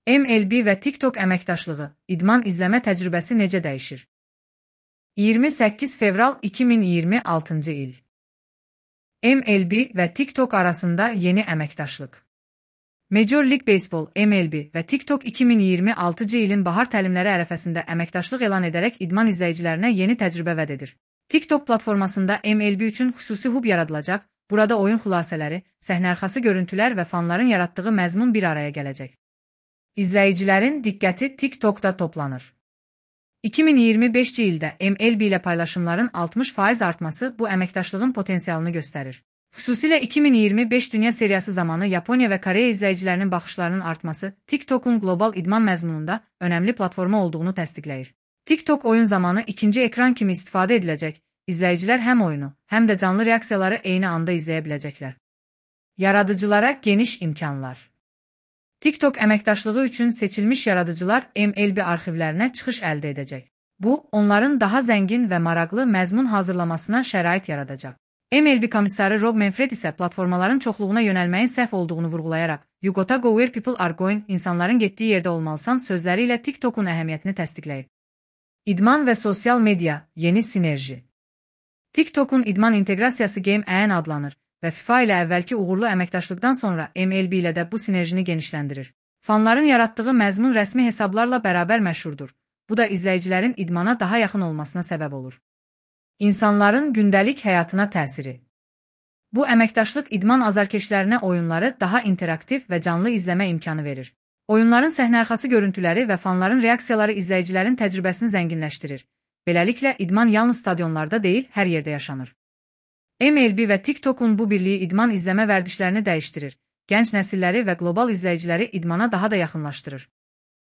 MLB və TikTok əməkdaşlığı, idman izləmə təcrübəsi necə dəyişir? 28 fevral 2026-cı il. MLB və TikTok arasında yeni əməkdaşlıq. Major League Baseball, MLB və TikTok 2026-cı ilin bahar təlimləri ərəfəsində əməkdaşlıq elan edərək idman izləyicilərinə yeni təcrübə vəd edir. TikTok platformasında MLB üçün xüsusi hub yaradılacaq, burada oyun xülasələri, səhnəarxası görüntülər və fanların yaratdığı məzmun bir araya gələcək. İzləyicilərin diqqəti TikTokda toplanır. 2025-ci ildə MLB ilə paylaşımların 60% artması bu əməkdaşlığın potensialını göstərir. Xüsusilə 2025 Dünya Seriyası zamanı Yaponiya və Koreya izləyicilərinin baxışlarının artması TikTokun qlobal idman məzmununda önəmli platforma olduğunu təsdiqləyir. TikTok oyun zamanı ikinci ekran kimi istifadə ediləcək, izləyicilər həm oyunu, həm də canlı reaksiyaları eyni anda izləyə biləcəklər. Yaradıcılara geniş imkanlar. TikTok əməkdaşlığı üçün seçilmiş yaradıcılar MLB arxivlərinə çıxış əldə edəcək. Bu, onların daha zəngin və maraqlı məzmun hazırlamasına şərait yaradacaq. MLB komissarı Rob Manfred isə platformaların çoxluğuna yönəlməyin səhv olduğunu vurğulayaraq, "You gotta go where people are going, insanların getdiyi yerdə olmalısan" sözləri ilə TikTokun əhəmiyyətini təsdiqləyib. İdman və sosial media, yeni sinerji. TikTokun idman inteqrasiyası Game On adlanır və FIFA ilə əvvəlki uğurlu əməkdaşlıqdan sonra MLB ilə də bu sinerjini genişləndirir. Fanların yaratdığı məzmun rəsmi hesablarla bərabər məşhurdur. Bu da izləyicilərin idmana daha yaxın olmasına səbəb olur. İnsanların gündəlik həyatına təsiri. Bu əməkdaşlıq idman azarkeşlərinə oyunları daha interaktiv və canlı izləmə imkanı verir. Oyunların səhnəarxası görüntüləri və fanların reaksiyaları izləyicilərin təcrübəsini zənginləşdirir. Beləliklə, idman yalnız stadionlarda deyil, hər yerdə yaşanır. MLB və TikTokun bu birliyi idman izləmə vərdişlərini dəyişdirir, gənc nəsilləri və qlobal izləyiciləri idmana daha da yaxınlaşdırır.